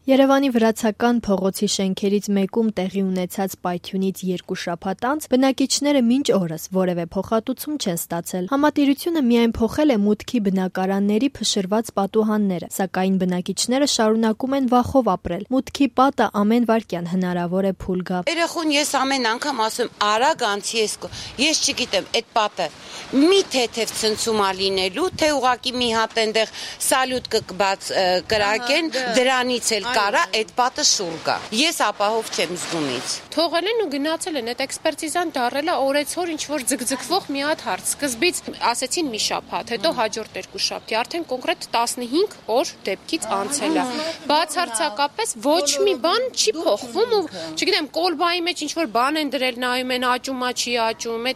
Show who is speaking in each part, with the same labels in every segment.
Speaker 1: Երևանի վրացական փողոցի շենքերից մեկում տեղի ունեցած պայթյունից 2 շաբաթ անց բնակիչները մինչ օրս որևէ փոխհատուցում չեն ստացել։ Համատիրությունը միայն փոխել է մուտքի բնակարանների փշրված պատուհանները, սակայն բնակիչները շարունակում են վախով ապրել։ Մուտքի պատը ամեն վայրկյան հնարավոր է փուլ գա։
Speaker 2: Երեխուն ես ամեն անգամ ասում, արագ անցի ես չգիտեմ, այդ պատը մի թեթև ցնցումա լինելու, թե ուղակի մի հատ այնտեղ սալյուտ կրակեն, դրանից էլ կարա այդ պատը շուռ գա։ Ես ապահով չեմ զգումից։
Speaker 3: Թողել են ու գնացել են, այդ էքսպերտիզան դարել է օրեցօր ինչ-որ ձգձգվող մի հատ հարց։ Սկզբից ասեցին մի շաբաթ, հետո հաջորդ 2 շաբթի, արդեն կոնկրետ 15 օր դեպքից անցել է։ Բացարձակապես ոչ մի բան չի փոխվում ու չգիտեմ, կոլբայի մեջ ինչ-որ բան են դրել, նայում են աճումա չի աճում,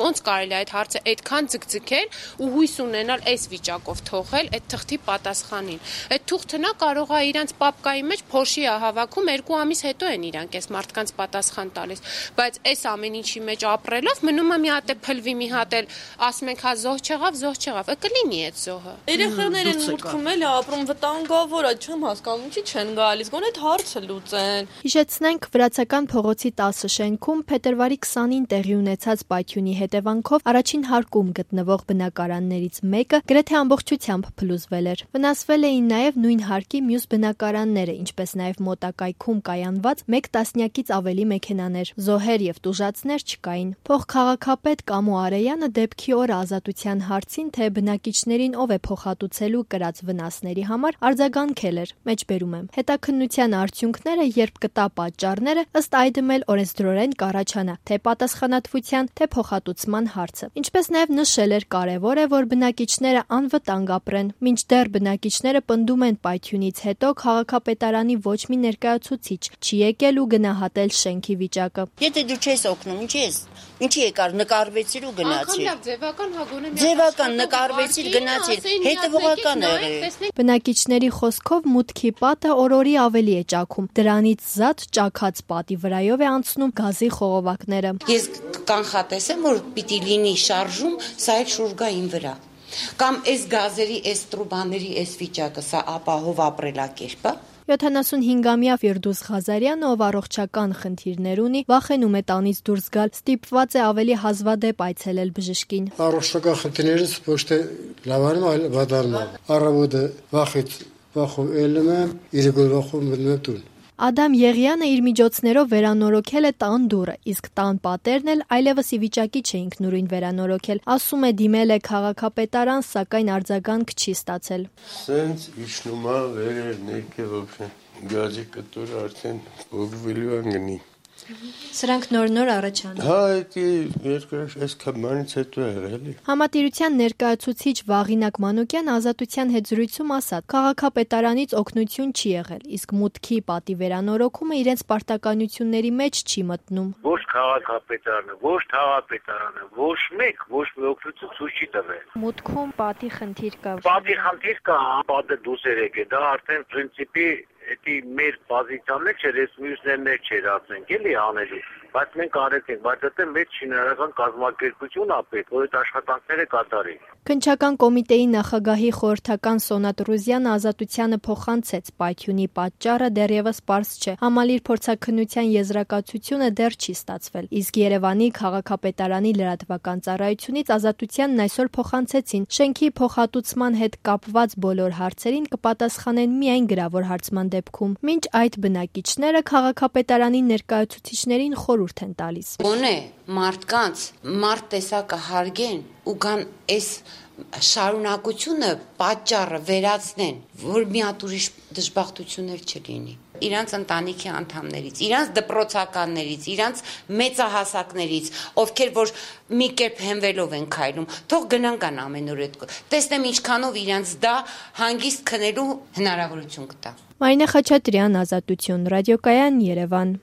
Speaker 3: ոնց կարելի է այդ հարցը այդքան ձգձգել ու հույս ունենալ այս վիճակով թողել այդ թղթի պատասխանին։ Այդ թուղթը նա կարող է իրանց պապկայի մեջ փոշի է հավաքում, 2 ամիս հետո են իրանք այս մարդկանց պատասխան տալիս, բայց այս ամեն ինչի մեջ ապրելով մնում է մի հատ է փլվի, մի հատ էլ ասում ենք հա զոհ չեղավ, կլինի այդ զոհը։
Speaker 4: Երեխաներ են մուտքում էլ ապրում վտանգավոր է, չեմ հասկանում, ինչի չեն գալիս, գոնե այդ հարցը լուծեն։
Speaker 1: Հիշեցնենք, վրացական փողոցի 10 շենքում փետրվարի 20-ին տեղի ունեցած պայթյունի հետևանքով առաջին հարկում գտնվող բնակարաններից մեկը գրեթե ամբողջությամբ փլուզվել էր։ Վնասվել էին նաև նույն հարկի մյուս բնակարանները, ինչպես նաև մոտակայքում կայանված 1 տասնյակից ավելի մեքենաներ։ Զոհեր եւ տուժածներ չկային։ Փոխքաղաքապետ Կամո Արեյանը դեպքի օրը Ազատության հարցին, թե բնակիչներին ով է փոխհատուցելու կրած վնասների համար արձագանքել էր։ Մեջբերում եմ։ Հետաքննության արդյունքները, երբ կտա պատճառները, ըստ այդմ էլ օրենսդրորեն կառաջանա թե պատասխանատվության, թե փոխհատուցման հարցը։ Ինչպես նաև նշել էր, կարևոր է, որ բնակիչները անվտանգ ապրեն։ Մինչդեռ բնակիչները պնդում են պայթյունից հետո քաղաքապետարանի ոչ մի ներկայացուցիչ չի եկել ու գնահատել շենքի վիճակը։
Speaker 2: Եթե դու չես օգնում, ինչի եկար, նկարվեցիր ու գնացիր։ Ձևական նկարվեցիր, գնացիր, հետևողական է եղել։
Speaker 1: Բնակիչների խոսքով մուտքի պատը օրորի ավելի է ճաքում։ Դրանից զատ ճաքած պատի վրայով է անցնում գազի խողովակները։
Speaker 2: Ես կանխատեսեմ, որ պիտի լինի շարժում, սա էլ շուռ գա իմ վրա։ Կամ այս գազերի, այս տրուբաների, այս վիճակը, սա ապահով ապրելակերպ է։
Speaker 1: 75-ամյա Ֆիրդուս Ղազարյանը, ով առողջական խնդիրներ ունի, վախենում է տանից դուրս գալ, ստիպված է ավելի հազվադեպ այցելել բժշկին։
Speaker 5: Առողջական խնդիրներից ոչ թե լավանում, այլ վատանում։ Առավոտը վախով ելնում եմ, երեկոյը վախով մտնում եմ տուն։
Speaker 1: Ադամ Եղյանը իր միջոցներով վերանորոգել է տան դուռը, իսկ տան պատերն էլ այլևս ի վիճակի չէ ինքնուրույն վերանորոգել։ Ասում է դիմել է քաղաքապետարան, սակայն արձագանք չի ստացել։
Speaker 6: Սենց իջնում է վերեր ներքև գազի կտորը արդեն փոխվելու են գնի։
Speaker 1: Սրանք նոր առաջանում։
Speaker 6: Հա, այս կամանից հետո եղել է։
Speaker 1: Համատիրության ներկայացուցիչ Վաղինակ Մանուկյան Ազատության հետ զրույցում ասաց, քաղաքապետարանից օգնություն չի եղել, իսկ մուտքի պատի վերանորոգումը իրենց պարտականությունների մեջ չի մտնում։
Speaker 7: Ոչ քաղաքապետարանը, ոչ թաղապետարանը, ոչ մեկ օգնություն ցույց չի տվել։
Speaker 1: Մուտքում պատի խնդիր կա։
Speaker 7: Պատի խնդիր կա, պատը դուրս է եկել, դա արդեն պրինցիպի Էդի մեր պոզիցիաներ չէր, ես մյուսներն չէր ասենք, էլի անելու, բայց մենք արեցինք, բայց դա մեծ շինարարական կազմակերպություն է պետք, որ այդ աշխատանքները կատարի։
Speaker 1: Քննչական կոմիտեի նախագահի խորհրդական Սոնատ Ռուզյանը Ազատությանը փոխանցեց, պայթյունի պատճառը դեռևս պարզ չէ, համալիր փորձաքննության եզրակացությունը դեռ չի ստացվել, իսկ Երևանի քաղաքապետարանի լրատվական ծառայությունից Ազատությանն այսօր փոխանցեցին, շենքի փոխհատուցման հետ կապված բոլոր հարցերին կպատասխանեն միայն գրավոր հարցման դեպքում։ Մինչ այդ բնակիչները քաղաքապետարանի ներկայացուցիչներին խորհուրդ են տալիս։
Speaker 2: Գոնե մարդկանց մարդ տեսակը հարգեն ու կան այս շարունակությունը պատճառը վերացնեն, որ մի հատ ուրիշ դժբախտություններ չլինի։ Իրանց ընտանիքի անդամներից, իրանց դպրոցականներից, իրանց մեծահասակներից, ովքեր որ մի կերպ հենվելով են քայլում, թող գնան ամենուր այդ։ Տեսնեմ ինչքանով իրանց դա հանգիստ քնելու հնարավորություն կտա։
Speaker 1: Մարինե Խաչատրյան, Ազատություն, ռադիոկայան, Երևան։